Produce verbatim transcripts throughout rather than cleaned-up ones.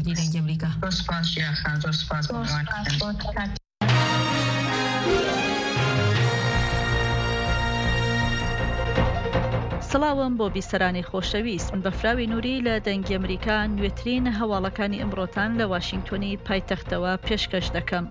کوردی دەنگی ئەمریکا. زۆر سوپاس ژیان خان، زۆر سوپاس بۆ میوانکردن. سڵاوم بۆ بیسەرانی خۆشەویست، من بەفراوی نوری لە دەنگی ئەمریکا نوێترین هەواڵەکانی ئەمڕۆتان لە واشینگتۆنی پایتەختەوە پێشکەش دەکەم.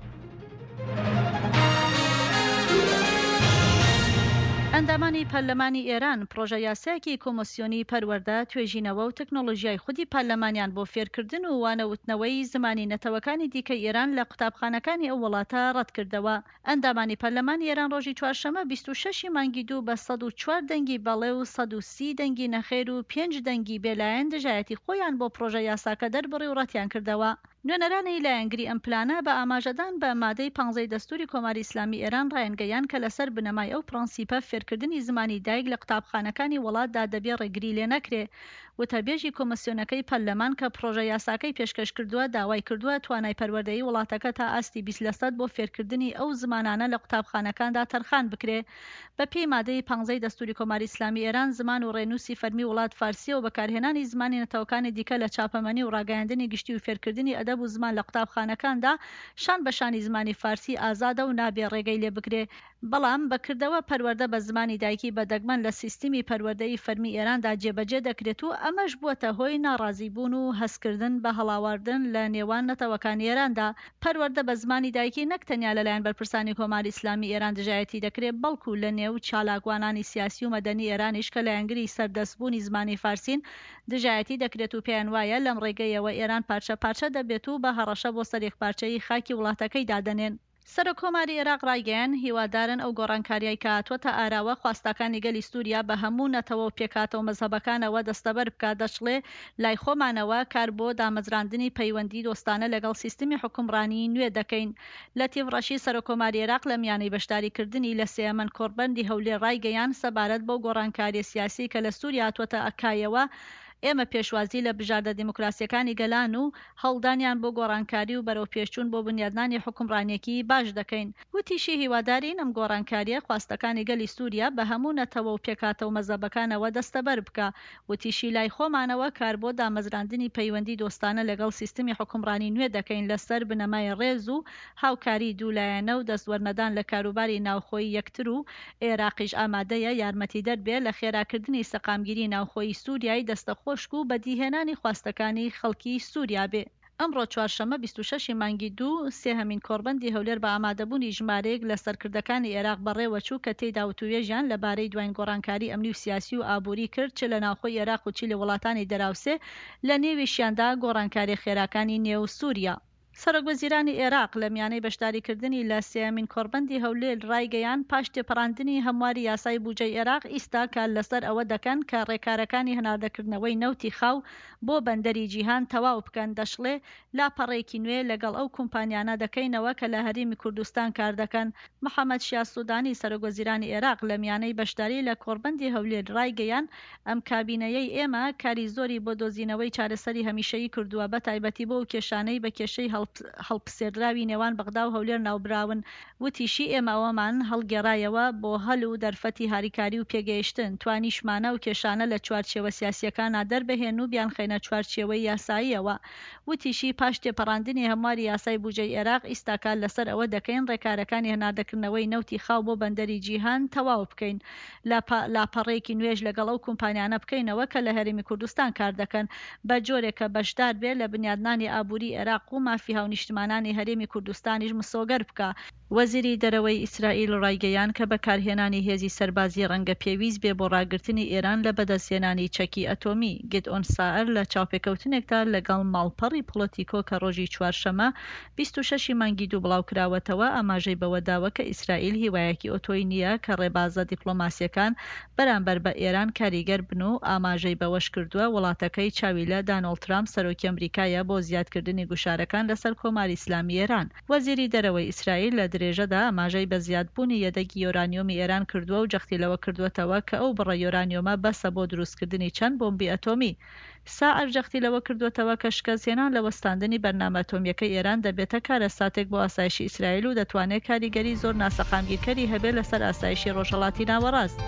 ئەندامانی پەرلەمانی ئێران پڕۆژە یاسایەکی کۆمۆسیۆنی پەروەردە، توێژینەوە و تەکنۆلۆژیای خودی پەرلەمانیان بۆ فێرکردن و وانەوتنەوەی زمانی نەتەوەکانی دیکەی ئێران لە قوتابخانەکانی ئەو وڵاتە ڕەتکردەوە. ئەندامانی پەرلەمانی ئێران ڕۆژی چوارشەممە بیست و شەش ی مانگی دوو بە سەد و چوار دەنگی بەڵێ و سەد و سی دەنگی نەخێر و پێنج دەنگی بێلایەن دژایەتی خۆیان بۆ پڕۆژە یاساکە دەربڕی و ڕەتیان کردەوە. نوێنەرانی لایەنگری ئەم پلانە بە ئاماژەدان بە مادەی پانزەی دەستووری کۆماری ئیسلامی ئێران ڕایانگەیاند کە لەسەر بنەمای ئەو پڕەنسیپە فێرکردنی زمانی دایک لە قوتابخانەکانی وڵاتدا دەبێ ڕێگری لێ نەکرێ. وتەبێژی کۆمسیۆنەکەی پەرلەمان کە پڕۆژە یاساکەی پێشکەش کردووە داوای کردووە توانای پەروەردەیی وڵاتەکە تا ئاستی بیست لەسەد بۆ فێرکردنی ئەو زمانانە لە قوتابخانەکاندا تەرخان بکرێ. بە پێی مادەی پانزەی دەستووری کۆماری ئیسلامی ئێران زمان و ڕێنووسی فەرمی وڵات فارسیە و بەکارهێنانی زمانی نەتەوەکانی دیکە لە چاپەمەنی و ڕاگەیاندنی گشتی و فێرکردنی ئەدەب و زمان لە قوتابخانەکاندا شان بە شانی زمانی فارسی ئازادە و نابێ ڕێگەی لێ بگرێ. بەڵام بە کردەوە پەروەردە بە زمانی دایکی بە دەگمەن لە سیستمی پەروەردەیی فەرمی ئێراندا جێبەجێ دەکرێت و ئەمەش بووەتە هۆی ناڕازیبوون و هەستکردن بە هەڵاواردن لە نێوان نەتەوەکانی ئێراندا. پەروەردە بە زمانی دایکی نەک تەنیا لەلایەن بەرپرسانی کۆماری ئیسلامی ئێران دژایەتی دەکرێ، بەڵکوو لە نێو چالاکوانانی سیاسی و مەدەنی ئێرانیش کە لایەنگری سەردەستبوونی زمانی فارسین دژایەتی دەکرێت و پێیان وایە لەم ڕێگەیەوە ئێران پارچە پارچە دەبێت و بە هەڕەشە بۆ سەر یەکپارچەیی خاکی وڵاتەکەی دادەنێن. سەرۆککۆماری ئێراق ڕایگەیاند، هیوادارن ئەو گۆڕانکارییەی کە هاتووەتە ئاراوە خواستەکانی گەلی سووریا بە هەموو نەتەوە و پێکهاتە و مەزهەبەکانەوە دەستەبەر بکات، دەشڵێ، لای خۆمانەوە کار بۆ دامەزراندنی پەیوەندیی دۆستانە لەگەڵ سیستمی حوکمڕانیی نوێ دەکەین. لەتیف ڕەشید سەرۆککۆماری ئێراق لە میانەی بەشداریکردنی لە سێیەمەن کۆڕبەندی هەولێر ڕایگەیاند، سەبارەت بەو گۆڕانکارییە سیاسیەی کە لە سووریا هاتووەتە کایەوە، ئێمە پێشوازی لە بژاردە دیموکراسییەکانی گەلان و هەوڵدانیان بۆ گۆڕانکاری و بەرەوپێشچوون بۆ بنیادنانی حوکمڕانییەکی باش دەکەین. وتیشی، هیوادارین ئەم گۆڕانکارییە خواستەکانی گەلی سووریا بە هەموو نەتەوە و پێکهاتە و مەزهەبەکانەوە دەستەبەر بکا. وتیشی، لای خۆمانەوە کار بۆ دامەزراندنی پەیوەندی دۆستانە لەگەڵ سیستمی حوکمڕانی نوێ دەکەین لەسەر بنەمای ڕێز و هاوکاریی دوولایەنە و دەستوەرنەدان لە کاروباری ناوخۆیی یەکتر و عێراقیش ئامادەیە یارمەتیدەر بێ لە خێراکردنی سەقامگیری ناوخۆیی سووریای دەستەخۆشک و بەدیهێنانی خواستەکانی خەڵکی سووریا بێ. ئەمڕۆ چوارشەممە بیست و شەش ی مانگی دوو، سێهەمین کۆڕبەندی هەولێر بە ئامادەبوونی ژمارەیەک لە سەرکردەکانی ئێراق بەڕێوەچوو کە تێیدا وتووێژیان لەبارەی دواین گۆڕانکاری ئەمنی و سیاسی و ئابووری کرد چ لە ناوخۆی ئێراق و چی لە وڵاتانی دەراوسێ لە نێویشیاندا گۆڕانکاریە خێراکانی نێو سووریا. سەرۆکوەزیرانی ئێراق لە میانەی بەشداریکردنی لە سێیەمین کۆڕبەندی هەولێر ڕایگەیاند، پاش تێپەڕاندنی هەمواری یاسای بوجەی ئێراق ئیستا کار لەسەر ئەوە دەکەن کە ڕێکارەکانی هەناردەکردنەوەی نەوتی خاو بۆ بەندەری جیهان تەواو بکەن، دەشڵێ، لاپەڕەیەکی نوێ لەگەڵ ئەو کومپانیانە دەکەینەوە کە لە هەرێمی کوردستان کاردەکەن. محەمەد شیاع سودانی سەرۆکوەزیرانی ئێراق لە میانەی بەشداری لە کۆڕبەندی هەولێر ڕایگەیاند، ئەم کابینەیەی ئێمە کاری زۆری بۆ دۆزینەوەی چارەسەری هەمیشەیی کردووە، بەتایبەتی بۆ ئەو کێشانەی بە کێشەی هەڵپسێردراوی نێوان بەغدا و هەولێر ناوبراون. وتیشی، ئێمە ئەوەمان هەڵگێڕایەوە بۆ هەل و دەرفەتی هاریکاری و پێگەیشتن، توانیشمانە ئەو کێشانە لە چوارچێوە سیاسییەکانا دەربهێن و بیانخەینە چوارچێوەی یاساییەوە. وتیشی، پاش تێپەڕاندنی هەمواری یاسای بوجەی ئێراق، ئیستا کار لەسەر ئەوە دەکەین ڕێکارەکانی هەناردەکردنەوەی نەوتی خاو بۆ بەندەری جیهان تەواو بکەین، لاپەڕەیەکی نوێش لەگەڵ ئەو کومپانیانە بکەینەوە کە لە هەرێمی کوردستان کار دەکەن، بە جۆرێک کە بەشدار بێ لە بنیادنانی ئابووری ئێراق و مافی هاونیشتمانانی هەرێمی کوردستانیش مسۆگەر بکا. وەزیری دەرەوەی ئیسرائیل ڕایگەیاند کە بەکارهێنانی هێزی سەربازی ڕەنگە پێویست بێ بۆ ڕاگرتنی ئێران لە بەدەستهێنانی چەکی ئەتۆمی. گدئۆن سائر لە چاوپێکەوتنێکدا لەگەڵ ماڵپەڕی پۆڵۆتیکۆ کە ڕۆژی چوارشەممە بیست و شەش ی مانگی دوو بڵاوکراوەتەوە، ئاماژەی بەوەداوە کە ئیسرائیل هیوایەکی ئەوتۆی نییە کە ڕێبازە دیپلۆماسییەکان بەرامبەر بە ئێران کاریگەر بن و ئاماژەی بەوەشکردووە، وڵاتەکەی چاوی لە دانۆڵد ترامپ سەرۆکی ئەمریکایە بۆ زیادکردنی گوشارەکان لەسەر کۆماری ئیسلامی ئێران. وەزیری دەرەوەی ئیسرائیل لە درێژەدا ئاماژەی بە زیادبوونی یەدەگی یۆرانیۆمی ئێران کردووە و جەختی لەوە کردووەتەوە کە ئەو بڕە یۆرانیۆمە بەسە بۆ دروستکردنی چەند بۆمبی ئەتۆمی. ساعر جەختی لەوە کردووەتەوە کە شکستهێنان لە وەستاندنی بەرنامە ئەتۆمییەکەی ئێران دەبێتە کارەساتێک بۆ ئاسایشی ئیسرائیل و دەتوانێت کاریگەری زۆر ناسەقامگیرکەری هەبێت لەسەر ئاسایشی ڕۆژهەڵاتی ناوەڕاست.